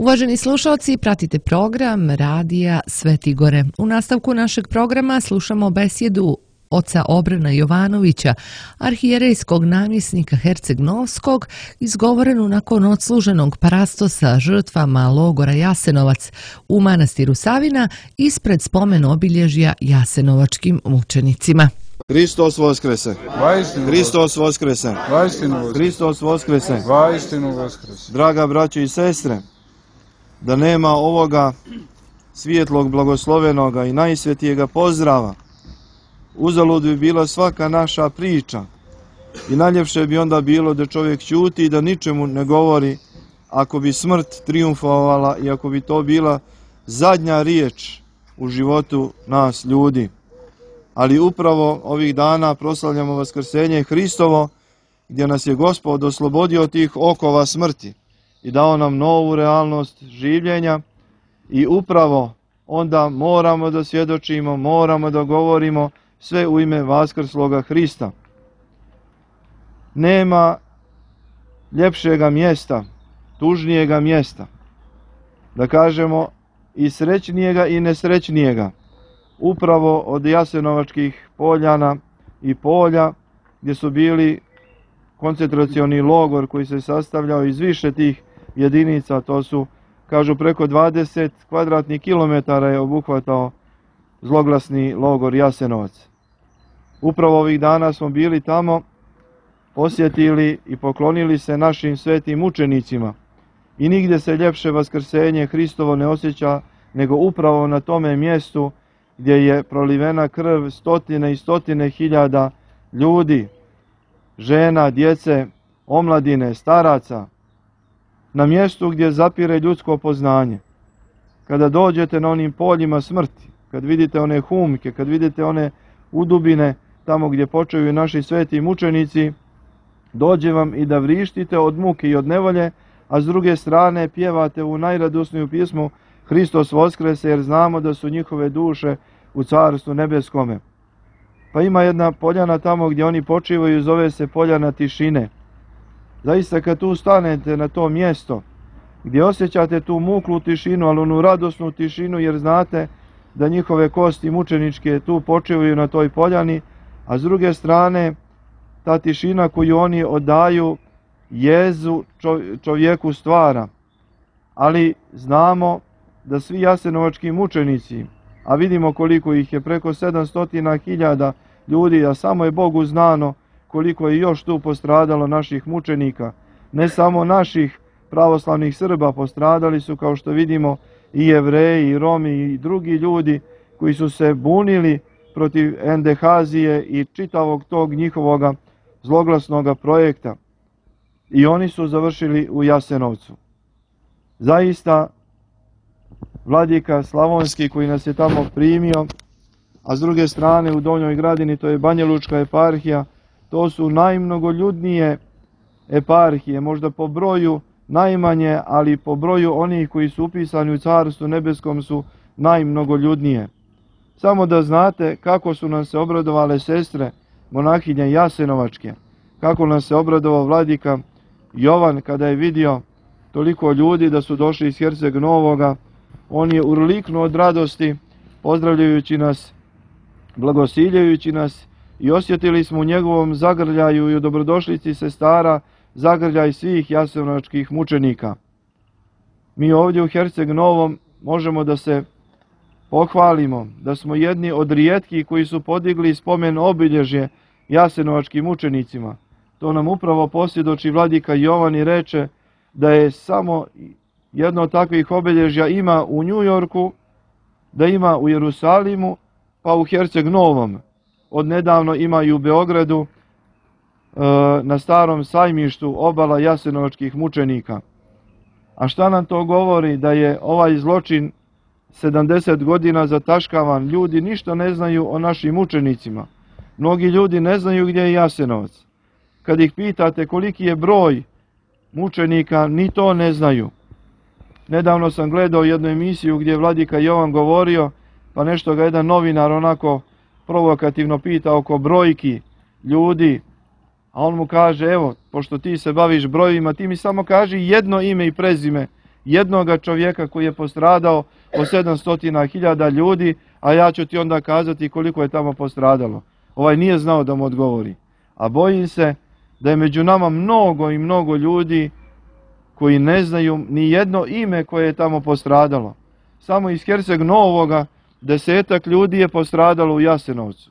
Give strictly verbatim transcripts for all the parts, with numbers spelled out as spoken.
Uvaženi slušalci, pratite program Radija Sveti Gore. U nastavku našeg programa slušamo besjedu oca Obrena Jovanovića, arhijerejskog namjesnika Herceg-Novskog, izgovorenu nakon odsluženog parastosa žrtvama logora Jasenovac u manastiru Savina ispred spomen obilježja jasenovačkim mučenicima. Hristos Voskrese! Hristos Voskrese! Hristos Voskrese! Draga braćo i sestre, da nema ovoga svijetlog, blagoslovenoga i najsvetijega pozdrava, uzalud bi bila svaka naša priča i najljepše bi onda bilo da čovjek ćuti i da ničemu ne govori ako bi smrt triumfovala i ako bi to bila zadnja riječ u životu nas ljudi. Ali upravo ovih dana proslavljamo Vaskrsenje Hristovo, gdje nas je Gospod oslobodio tih okova smrti i dao nam novu realnost življenja i upravo onda moramo da svjedočimo, moramo da govorimo sve u ime Vaskrsloga Hrista. Nema ljepšega mjesta, tužnijega mjesta, da kažemo i srećnijega i nesrećnijega, upravo od jasenovačkih poljana i polja gdje su bili koncentracioni logor koji se sastavljao iz više tih jedinica, to su, kažu, preko dvadeset kvadratnih kilometara je obuhvatao zloglasni logor Jasenovac. Upravo ovih dana smo bili tamo, posjetili i poklonili se našim svetim mučenicima i nigdje se ljepše Vaskrsenje Hristovo ne osjeća nego upravo na tome mjestu gdje je prolivena krv stotine i stotine hiljada ljudi, žena, djece, omladine, staraca, na mjestu gdje zapire ljudsko poznanje. Kada dođete na onim poljima smrti, kad vidite one humke, kad vidite one udubine tamo gdje počeju naši sveti mučenici, dođe vam i da vrištite od muke i od nevolje, a s druge strane pjevate u najradosniju pjesmu Hristos Voskrese, jer znamo da su njihove duše u Carstvu nebeskome. Pa ima jedna poljana tamo gdje oni počivaju, zove se poljana tišine. Zaista kad tu stanete na to mjesto, gdje osjećate tu muklu tišinu, ali onu radosnu tišinu, jer znate da njihove kosti mučeničke tu počivaju na toj poljani, a s druge strane ta tišina koju oni odaju jezu čovjeku stvara. Ali znamo da svi jasenovački mučenici, a vidimo koliko ih je, preko sedamsto hiljada ljudi, a samo je Bogu znano koliko je još tu postradalo naših mučenika. Ne samo naših pravoslavnih Srba, postradali su, kao što vidimo, i Jevreji, i Romi, i drugi ljudi koji su se bunili protiv Endehazije i čitavog tog njihovoga zloglasnoga projekta. I oni su završili u Jasenovcu. Zaista, vladika Slavonski koji nas je tamo primio, a s druge strane u Donjoj Gradini, to je Banjalučka eparhija, to su najmnogoljudnije eparhije, možda po broju najmanje, ali po broju onih koji su upisani u Carstvu nebeskom su najmnogoljudnije. Samo da znate kako su nam se obradovale sestre monahinje Jasenovačke, kako nam se obradovao vladika Jovan kada je vidio toliko ljudi da su došli iz Herceg-Novoga. On je urliknuo od radosti, pozdravljajući nas, blagosiljajući nas, i osjetili smo u njegovom zagrljaju i u dobrodošlici sestara zagrljaj svih jasenovačkih mučenika. Mi ovdje u Herceg-Novom možemo da se pohvalimo da smo jedni od rijetkih koji su podigli spomen obilježje jasenovačkim mučenicima. To nam upravo posvjedoči vladika Jovan i reče da je samo jedno od takvih obilježja ima u New Yorku, da ima u Jerusalimu, pa u Herceg-Novom. Odnedavno ima i u Beogradu, na Starom sajmištu, obala jasenovačkih mučenika. A šta nam to govori? Da je ovaj zločin sedamdeset godina zataškavan. Ljudi ništa ne znaju o našim mučenicima. Mnogi ljudi ne znaju gdje je Jasenovac. Kad ih pitate koliki je broj mučenika, ni to ne znaju. Nedavno sam gledao jednu emisiju gdje je vladika Jovan govorio, pa nešto ga jedan novinar onako provokativno pita oko brojki ljudi, a on mu kaže, evo, pošto ti se baviš brojevima, ti mi samo kaži jedno ime i prezime jednoga čovjeka koji je postradao o sedamsto hiljada ljudi, a ja ću ti onda kazati koliko je tamo postradalo. Ovaj nije znao da mu odgovori. A bojim se da je među nama mnogo i mnogo ljudi koji ne znaju ni jedno ime koje je tamo postradalo. Samo iz Herceg Novoga desetak ljudi je postradalo u Jasenovcu.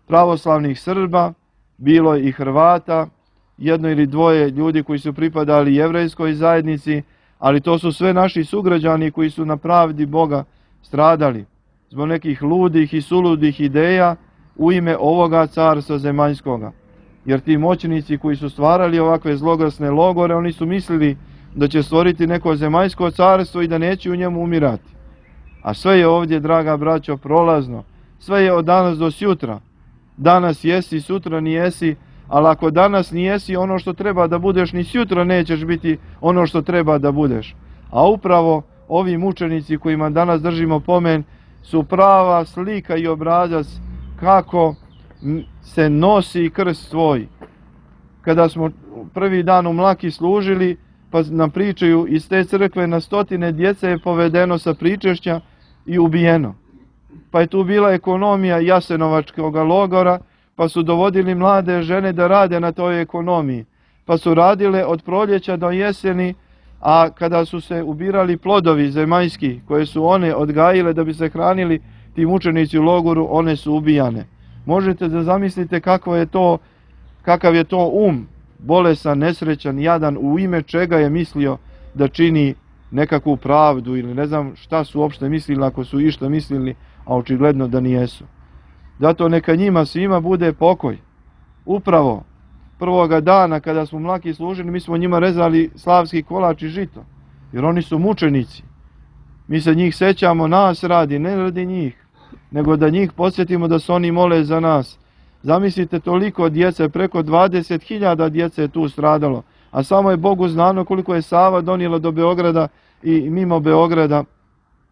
Pravoslavnih Srba, bilo je i Hrvata, jedno ili dvoje ljudi koji su pripadali jevrejskoj zajednici, ali to su sve naši sugrađani koji su na pravdi Boga stradali zbog nekih ludih i suludih ideja u ime ovoga carstva zemaljskoga. Jer ti moćnici koji su stvarali ovakve zloglasne logore, oni su mislili da će stvoriti neko zemaljsko carstvo i da neće u njemu umirati. A sve je ovdje, draga braćo, prolazno. Sve je od danas do sutra. Danas jesi, sutra nijesi, ali ako danas nijesi ono što treba da budeš, ni sutra nećeš biti ono što treba da budeš. A upravo ovi mučenici kojima danas držimo pomen su prava slika i obrazac kako se nosi krst svoj. Kada smo prvi dan u Mlaki služili, pa nam pričaju iz te crkve na stotine djece je povedeno sa pričešća i ubijeno. Pa je tu bila ekonomija Jasenovačkog logora, pa su dovodili mlade žene da rade na toj ekonomiji. Pa su radile od proljeća do jeseni, a kada su se ubirali plodovi zemaljski koje su one odgajile da bi se hranili ti mučenici u logoru, one su ubijane. Možete da zamislite kako je to, kakav je to um, bolesan, nesrećan, jadan, u ime čega je mislio da čini nekakvu pravdu ili ne znam šta su uopšte mislili, ako su išta mislili, a očigledno da nijesu. Zato neka njima svima bude pokoj. Upravo prvoga dana kada smo Mlaki služili, mi smo njima rezali slavski kolač i žito, jer oni su mučenici. Mi se njih sećamo, nas radi, ne radi njih, nego da njih podsjetimo da se oni mole za nas. Zamislite toliko djece, preko dvadeset hiljada djece je tu stradalo, a samo je Bogu znano koliko je Sava donijela do Beograda i mimo Beograda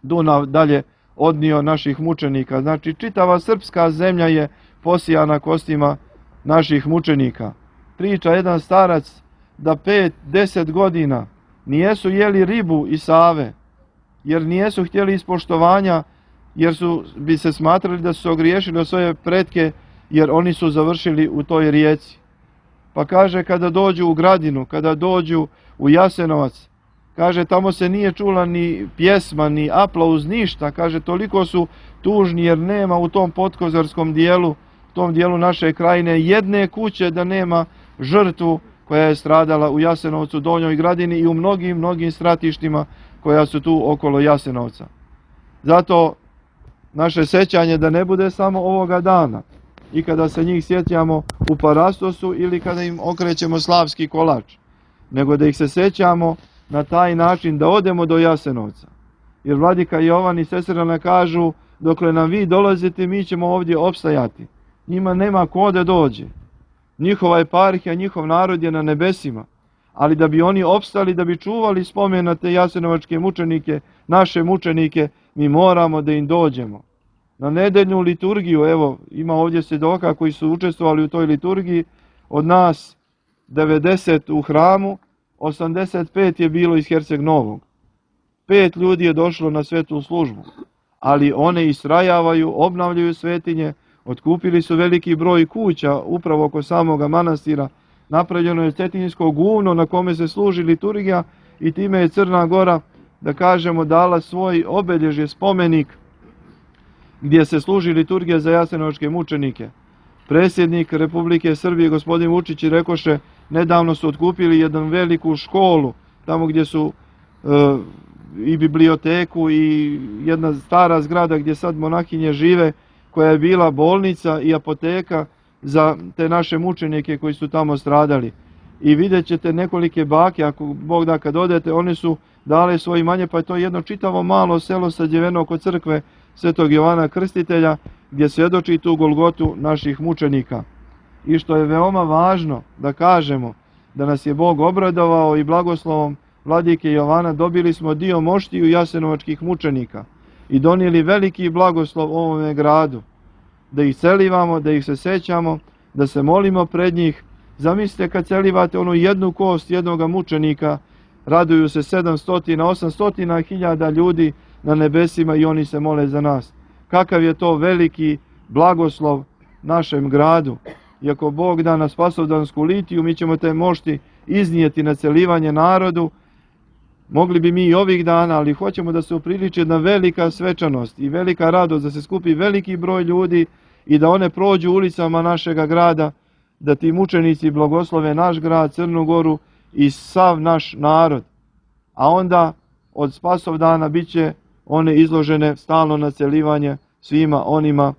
Dunav dalje odnio naših mučenika. Znači čitava srpska zemlja je posijana kostima naših mučenika. Priča jedan starac da pet, deset godina nijesu jeli ribu iz Save, jer nijesu htjeli ispoštovanja, jer su, bi se smatrali da su se ogriješili o svoje pretke, jer oni su završili u toj rijeci. Pa kaže, kada dođu u Gradinu, kada dođu u Jasenovac, kaže, tamo se nije čula ni pjesma, ni aplauz, ništa. Kaže, toliko su tužni jer nema u tom podkozarskom dijelu, u tom dijelu naše krajine, jedne kuće da nema žrtvu koja je stradala u Jasenovcu, Donjoj Gradini i u mnogim, mnogim stratištima koja su tu okolo Jasenovca. Zato naše sećanje da ne bude samo ovoga dana i kada se njih sjećamo u Parastosu ili kada im okrećemo slavski kolač, nego da ih se sećamo na taj način da odemo do Jasenovca. Jer vladika Jovan i sestrana kažu, dokle nam vi dolazite, mi ćemo ovdje opstajati. Njima nema ko da dođe. Njihova eparhija, njihov narod je na nebesima. Ali da bi oni opstali, da bi čuvali spomen na te jasenovačke mučenike, naše mučenike, mi moramo da im dođemo. Na nedeljnu liturgiju, evo, ima ovdje svjedoka koji su učestvovali u toj liturgiji, od nas devedeset u hramu, osamdeset pet je bilo iz Herceg Novog. Pet ljudi je došlo na svetu službu, ali one istrajavaju, obnavljaju svetinje, otkupili su veliki broj kuća upravo oko samoga manastira, napravljeno je cetinjsko guvno na kome se služi liturgija i time je Crna Gora, da kažemo, dala svoj obilježje, spomenik gdje se služi liturgija za jasenovačke mučenike. Predsjednik Republike Srbije, gospodin Vučić, rekoše, nedavno su otkupili jednu veliku školu, tamo gdje su e, i biblioteku i jedna stara zgrada gdje sad monahinje žive, koja je bila bolnica i apoteka za te naše mučenike koji su tamo stradali. I vidjet ćete nekolike bake, ako Bog da kad odete, one su dale svoje imanje, pa je to jedno čitavo malo selo sađeveno oko crkve Svetog Jovana Krstitelja, gdje svjedoči tu golgotu naših mučenika. I što je veoma važno da kažemo, da nas je Bog obradovao i blagoslovom vladike Jovana, dobili smo dio moštiju jasenovačkih mučenika i donijeli veliki blagoslov ovome gradu, da ih celivamo, da ih se sećamo, da se molimo pred njih. Zamislite kad celivate onu jednu kost jednoga mučenika, raduju se sedamsto, osamsto hiljada ljudi na nebesima i oni se mole za nas. Kakav je to veliki blagoslov našem gradu. I ako Bog da na Spasovdansku litiju, mi ćemo te mošti iznijeti na celivanje narodu. Mogli bi mi i ovih dana, ali hoćemo da se upriliči jedna velika svečanost i velika radost, da se skupi veliki broj ljudi i da one prođu ulicama našega grada, da ti mučenici blagoslove naš grad, Crnu Goru i sav naš narod. A onda od Spasovdana bit će one izložene stalno na celivanje svima onima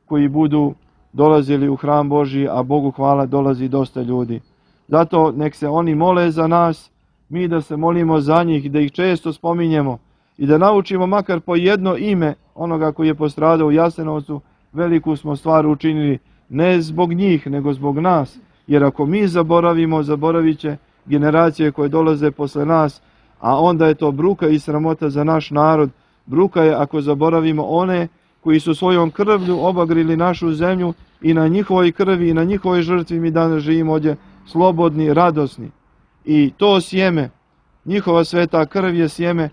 koji budu dolazili u hram Božji, a Bogu hvala dolazi dosta ljudi. Zato nek se oni mole za nas, mi da se molimo za njih, da ih često spominjemo i da naučimo makar po jedno ime onoga koji je postradao u Jasenovcu. Veliku smo stvar učinili, ne zbog njih, nego zbog nas. Jer ako mi zaboravimo, zaboravit će generacije koje dolaze posle nas, a onda je to bruka i sramota za naš narod. Bruka je ako zaboravimo one koji su svojom krvlju obagrili našu zemlju i na njihovoj krvi i na njihovoj žrtvi mi danas živimo ovdje slobodni, radosni. I to sjeme, njihova sveta krv je sjeme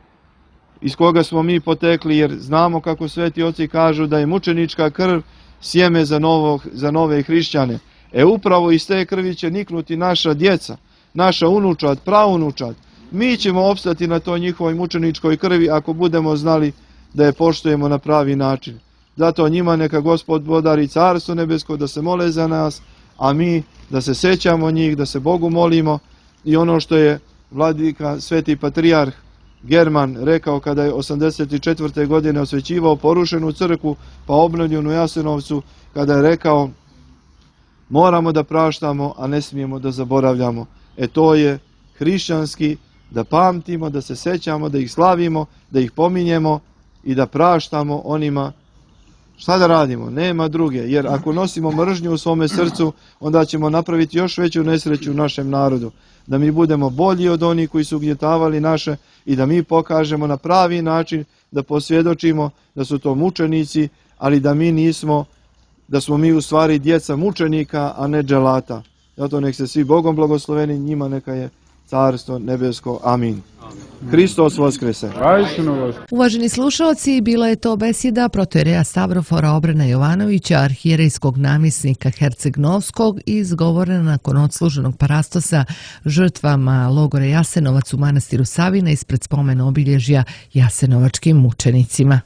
iz koga smo mi potekli, jer znamo kako sveti oci kažu da je mučenička krv sjeme za, novog, za nove hrišćane. E upravo iz te krvi će niknuti naša djeca, naša unučad, praunučad. Mi ćemo opstati na toj njihovoj mučeničkoj krvi ako budemo znali da je poštujemo na pravi način. Zato njima neka Gospod podari carstvo nebesko, da se mole za nas, a mi da se sećamo njih, da se Bogu molimo. I ono što je vladika sveti patrijarh German rekao kada je osamdeset četvrte godine osvećivao porušenu crkvu pa obnovljenu u Jasenovcu, kada je rekao moramo da praštamo, a ne smijemo da zaboravljamo. E to je hrišćanski, da pamtimo, da se sećamo, da ih slavimo, da ih pominjemo i da praštamo onima. Šta da radimo? Nema druge, jer ako nosimo mržnju u svome srcu, onda ćemo napraviti još veću nesreću u našem narodu. Da mi budemo bolji od onih koji su ugnjetavali naše i da mi pokažemo na pravi način, da posvjedočimo da su to mučenici, ali da mi nismo, da smo mi u stvari djeca mučenika, a ne dželata. Zato nek se svi Bogom blagosloveni, njima neka je carstvo nebesko. Amin. Hristos voskrese. Uvaženi slušalci, bila je to besjeda protoijereja Stavrofora Obrena Jovanovića, arhijerejskog namjesnika Herceg-Novskog, izgovorena nakon odsluženog parastosa žrtvama logora Jasenovac u manastiru Savina ispred spomen obilježja jasenovačkim mučenicima.